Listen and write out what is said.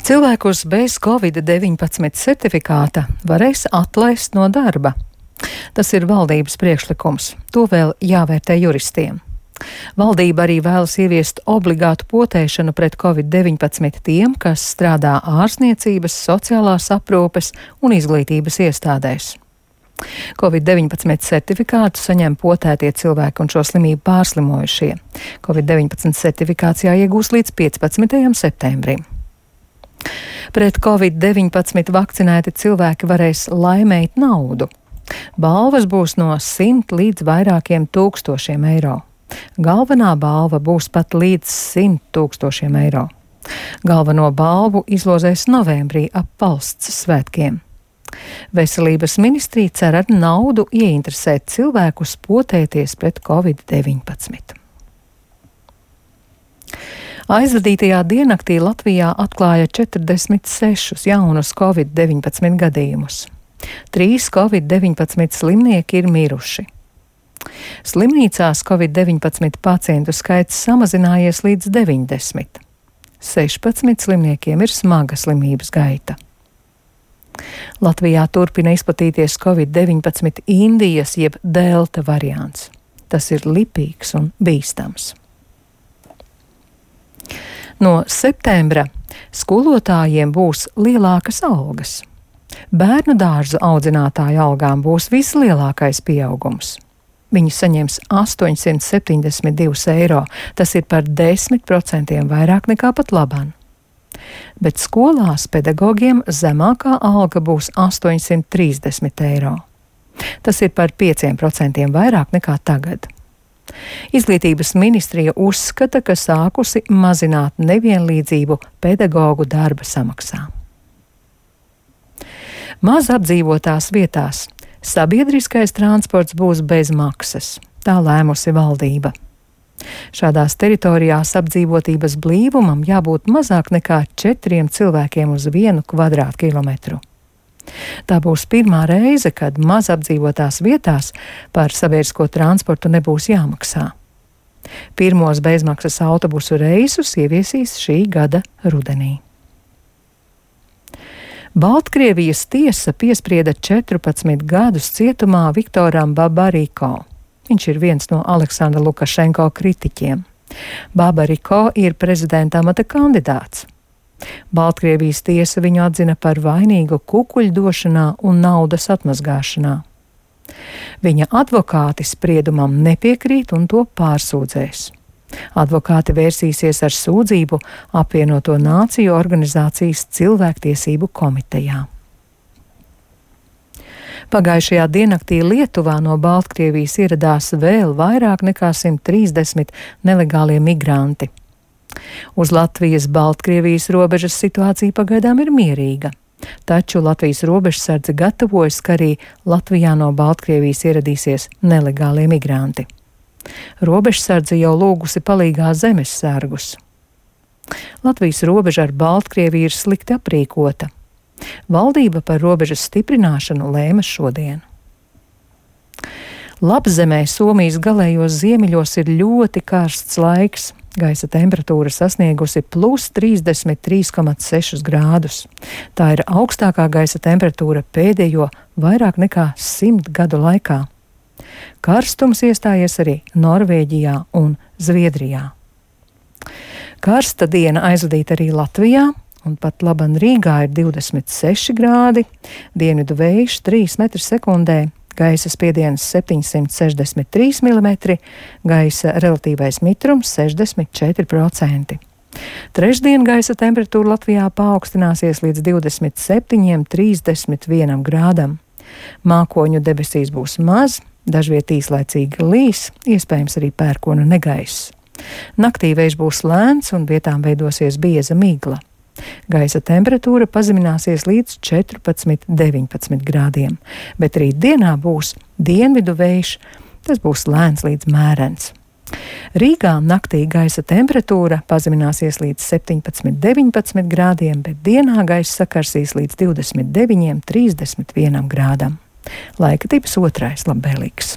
Cilvēkus bez Covid-19 certifikāta varēs atlaist no darba. Tas ir valdības priekšlikums. To vēl jāvērtē juristiem. Valdība arī vēlas ieviest obligātu potēšanu pret Covid-19 tiem, kas strādā ārstniecības, sociālās aprūpes un izglītības iestādēs. Covid-19 certifikātu saņem potētie cilvēki un šo slimību pārslimojušie. Covid-19 certifikāts jāiegūst līdz 15. septembrim. Pret Covid-19 vakcinēti cilvēki varēs laimēt naudu. Balvas būs no 100 līdz vairākiem tūkstošiem eiro. Galvenā balva būs pat līdz 100 tūkstošiem eiro. Galveno balvu izlozēs novembrī ap valsts svētkiem. Veselības ministrija cer ar naudu ieinteresēt cilvēkus potēties pret Covid-19. Aizvadītajā diennaktī Latvijā atklāja 46 jaunus Covid-19 gadījumus. 3 Covid-19 slimnieki ir miruši. Slimnīcās Covid-19 pacientu skaits samazinājies līdz 90. 16 slimniekiem ir smaga slimības gaita. Latvijā turpina izplatīties Covid-19 Indijas jeb delta variants. Tas ir lipīgs un bīstams. No septembra skolotājiem būs lielākas algas. Bērnu dārzu audzinātāju algām būs vislielākais pieaugums. Viņi saņems 872 eiro, tas ir par 10% vairāk nekā pat labāk. Bet skolās pedagogiem zemākā alga būs 830 eiro. Tas ir par 5% vairāk nekā tagad. Izglītības ministrija uzskata, ka sākusi mazināt nevienlīdzību pedagogu darba samaksā. Maz apdzīvotās vietās sabiedriskais transports būs bez maksas. Tā lēmusi valdība. Šādās teritorijās apdzīvotības blīvumam jābūt mazāk nekā 4 cilvēkiem uz 1 kvadrātkilometru. Tā būs pirmā reize, kad maz apdzīvotās vietās par sabiedrisko transportu nebūs jāmaksā. Pirmos bezmaksas autobusu reisus ieviesīs šī gada rudenī. Baltkrievijas tiesa piesprieda 14 gadus cietumā Viktoram Babariko. Viņš ir viens no Aleksandra Lukašenko kritiķiem. Babariko ir prezidenta amata kandidāts. Baltkrievijas tiesa viņu atzina par vainīgu kukuļdošanā un naudas atmazgāšanā. Viņa advokāti spriedumam nepiekrīt un to pārsūdzēs. Advokāti vērsīsies ar sūdzību Apvienoto Nāciju organizācijas cilvēktiesību komitejā. Pagājušajā diennaktī Lietuvā no Baltkrievijas ieradās vēl vairāk nekā 130 nelegālie migranti. Uz Latvijas-Baltkrievijas robežas situācija pagaidām ir mierīga, taču Latvijas robežsardze gatavojas, ka arī Latvijā no Baltkrievijas ieradīsies nelegālie migranti. Robežsardze jau lūgusi palīgā zemessargus. Latvijas robeža ar Baltkrieviju ir slikti aprīkota. Valdība par robežas stiprināšanu lēma šodien. Lapzemē Somijas galējos ziemeļos ir ļoti karsts laiks. Gaisa temperatūra sasniegusi plus 33,6 grādus. Tā ir augstākā gaisa temperatūra pēdējo vairāk nekā 100 gadu laikā. Karstums iestājies arī Norvēģijā un Zviedrijā. Karsta diena aizvadīta arī Latvijā, un pat laban Rīgā ir 26 grādi, dienvidu vējš 3 m/sekundē, gaisa spiediens 763 mm, gaisa relatīvais mitrums 64%. Trešdien gaisa temperatūra Latvijā paaugstināsies līdz 27–31 grādam. Mākoņu debesīs būs maz, dažviet īslaicīgi līs, iespējams arī pērkona negaiss. Naktī vējš būs lēns un vietām veidosies bieza migla. Gaisa temperatūra pazemināsies līdz 14–19 grādiem, bet rīt dienā būs dienvidu vējš, tas būs lēns līdz mērens. Rīgā naktī gaisa temperatūra pazemināsies līdz 17–19 grādiem, bet dienā gaisa sakarsīs līdz 29–31 grādam. Laika tips 2. labvēlīgs.